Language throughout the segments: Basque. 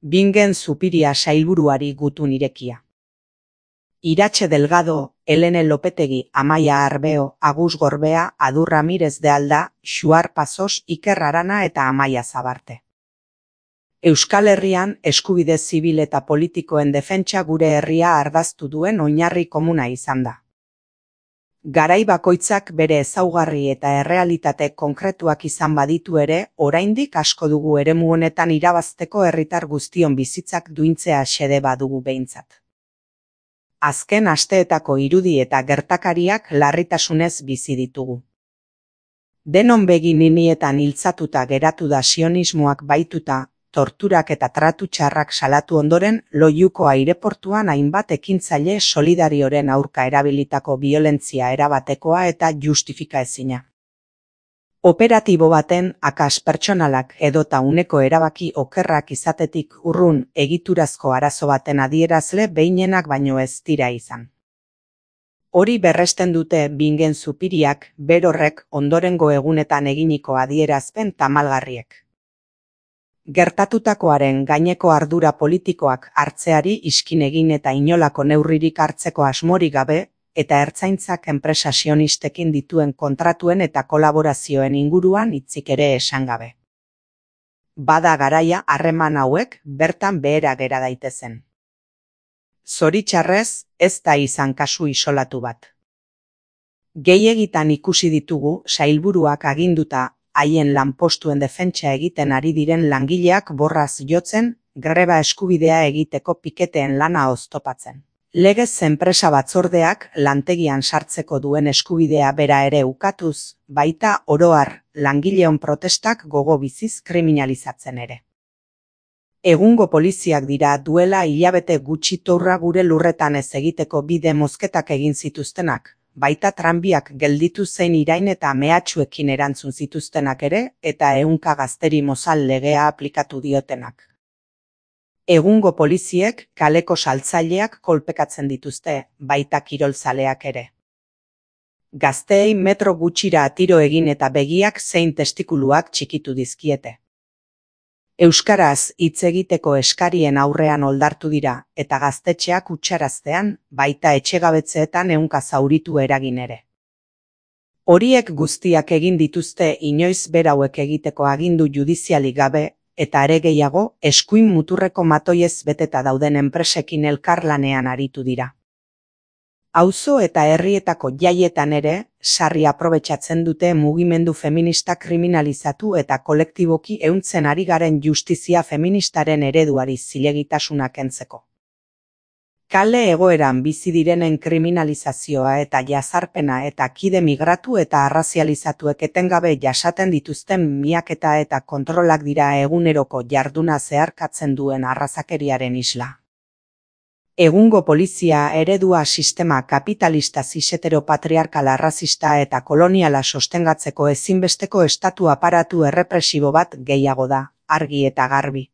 Bingen Zupiria sailburuari gutun irekia. Iratxe Delgado, Helene Lopetegi, Amaia Arbeo, Agus Gorbea, Adu Ramirez de Alda, Xuar Pasos, Iker Arana eta Amaia Zabarte. Euskal Herrian eskubide zibil eta politikoen defentsa gure herria ardaztu duen oinarri komuna izan da. Garai bakoitzak bere ezaugarri eta errealitate konkretuak izan baditu ere, oraindik asko dugu eremu honetan irabazteko herritar guztion bizitzak duintzea xede badugu behintzat. Azken asteetako irudi eta gertakariak larritasunez bizi ditugu. Denon begi ninietan hiltzatuta geratu da sionismoak baituta, torturak eta tratu txarrak salatu ondoren, Loiuko aireportuan hainbat ekintzaile solidarioren aurka erabilitako biolentzia erabatekoa eta justifikaezina. Operatibo baten akas pertsonalak edota uneko erabaki okerrak izatetik urrun egiturazko arazo baten adierazle behinenak baino ez dira izan. Hori berresten dute Bingen Zupiriak berorrek ondorengo egunetan eginiko adierazpen tamalgarriek. Gertatutakoaren gaineko ardura politikoak hartzeari iskin egin eta inolako neurririk hartzeko asmorik gabe, eta ertzaintzak enpresa sionistekin dituen kontratuen eta kolaborazioen inguruan hitzik ere esan gabe. Bada garaia harreman hauek bertan behera gera daitezen. Zoritxarrez, ez da izan kasu isolatu bat. Gehiegitan ikusi ditugu sailburuak aginduta haien lanpostuen defentsa egiten ari diren langileak borraz jotzen, greba eskubidea egiteko piketeen lana oztopatzen. Legez enpresa batzordeak lantegian sartzeko duen eskubidea bera ere ukatuz, baita oro har langileon protestak gogo biziz kriminalizatzen ere. Egungo poliziak dira duela hilabete gutxi tourra gure lurretan ez egiteko bide mozketak egin zituztenak, baita tranbiak gelditu zein irain eta mehatxuekin erantzun zituztenak ere, eta ehunka gazteri mozal legea aplikatu diotenak. Egungo poliziek kaleko saltzaileak kolpekatzen dituzte, baita kirolzaleak ere. Gazteei metro gutxira tiro egin eta begiak zein testikuluak txikitu dizkiete. Euskaraz hitz egiteko eskarien aurrean oldartu dira, eta gaztetxeak utxaraztean, baita etxegabetzeetan ehunka zauritu eragin ere. Horiek guztiak egin dituzte inoiz berauek egiteko agindu judizialik gabe, eta are gehiago, eskuin muturreko matoiez beteta dauden enpresekin elkarlanean aritu dira. Auzo eta herrietako jaietan ere, sarri aprobetxatzen dute mugimendu feminista kriminalizatu eta kolektiboki ehuntzen ari garen justizia feministaren ereduari zilegitasuna kentzeko. Kale egoeran bizi direnen kriminalizazioa eta jazarpena eta kide migratu eta arrazializatuek etengabe jasaten dituzten miaketa eta kontrolak dira eguneroko jarduna zeharkatzen duen arrazakeriaren isla. Egungo polizia eredua sistema kapitalista ziseteropatriarkala arrazista eta koloniala sostengatzeko ezinbesteko estatu aparatu errepresibo bat gehiago da, argi eta garbi.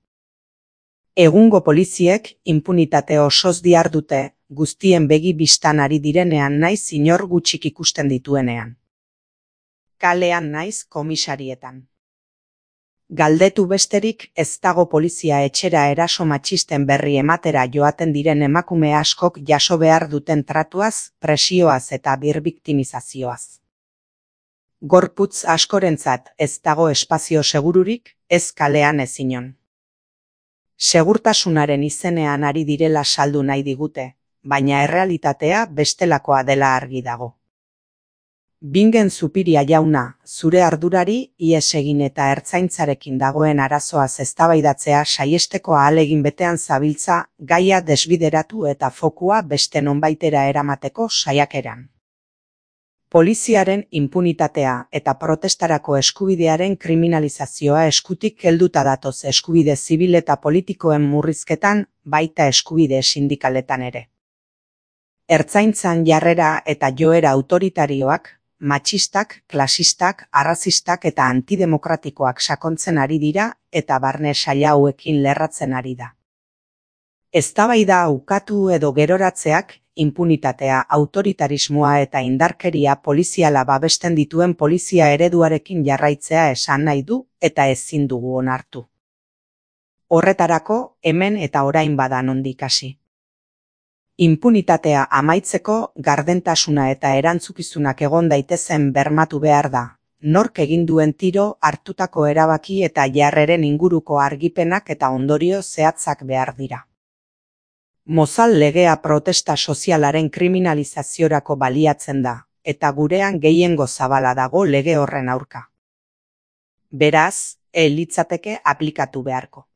Egungo poliziek inpunitate osoz dihardute, guztien begi bistan ari direnean naiz inor gutxik ikusten dituenean. Kalean naiz komisarietan. Galdetu besterik ez dago polizia etxera eraso matxisten berri ematera joaten diren emakume askok jaso behar duten tratuaz, presioaz eta birbiktimizazioaz. Gorputz askorentzat ez dago espazio segururik, ez kalean ez inon. Segurtasunaren izenean ari direla saldu nahi digute, baina errealitatea bestelakoa dela argi dago. Bingen Zupiria jauna, zure ardurari ihes egin eta ertzaintzarekin dagoen arazoaz eztabaidatzea saiesteko ahalegin betean zabiltza gaia desbideratu eta fokua beste nonbaitera eramateko saiakeran. Poliziaren inpunitatea eta protestarako eskubidearen kriminalizazioa eskutik helduta datoz eskubide zibil eta politikoen murrizketan, baita eskubide sindikaletan ere. Ertzaintzan jarrera eta joera autoritarioak, matxistak, klasistak, arrazistak eta antidemokratikoak sakontzen ari dira eta barne saila hauekin lerratzen ari da. Eztabaida ukatu edo geroratzeak, inpunitatea, autoritarismoa eta indarkeria poliziala babesten dituen polizia ereduarekin jarraitzea esan nahi du eta ezin dugu onartu. Horretarako hemen eta orain bada nondik hasi. Inpunitatea amaitzeko gardentasuna eta erantzukizunak egon daitezen bermatu behar da. Nork egin duen tiro, hartutako erabaki eta jarreren inguruko argipenak eta ondorio zehatzak behar dira. Mozal legea protesta sozialaren kriminalizaziorako baliatzen da, eta gurean gehiengo zabala dago lege horren aurka. Beraz, litzateke aplikatu beharko.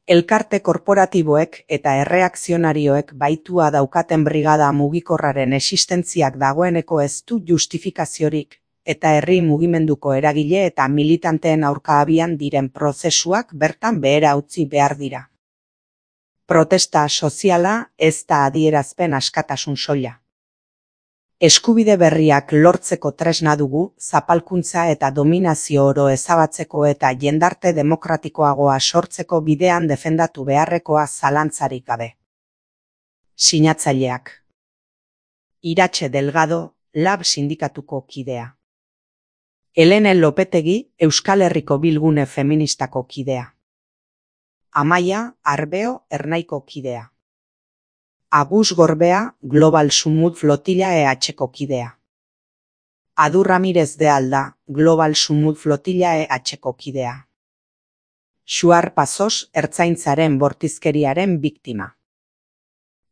Elkarte korporatiboek eta erreakzionarioek baitua daukaten brigada mugikorraren existentziak dagoeneko ez du justifikaziorik, eta herri mugimenduko eragile eta militanteen aurka abian diren prozesuak bertan behera utzi behar dira. Protesta soziala ez da adierazpen askatasun soila. Eskubide berriak lortzeko tresna dugu, zapalkuntza eta dominazio oro ezabatzeko eta jendarte demokratikoagoa sortzeko bidean defendatu beharrekoa zalantzarik gabe. Sinatzaileak. Iratxe Delgado, Lab sindikatuko kidea. Helene Lopetegi, Euskal Herriko Bilgune Feministako kidea. Amaia Arbeo Ernaiko kidea. Agus Gorbea, Global Sumut Flotilla EH-ko kidea. Adu Ramirez de Alda, Global Sumut Flotilla EH-ko kidea. Xuar Pasos, Ertzaintzaren bortizkeriaren biktima.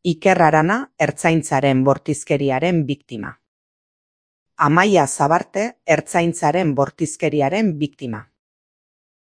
Iker Arana, Ertzaintzaren bortizkeriaren biktima. Amaia Zabarte, Ertzaintzaren bortizkeriaren biktima.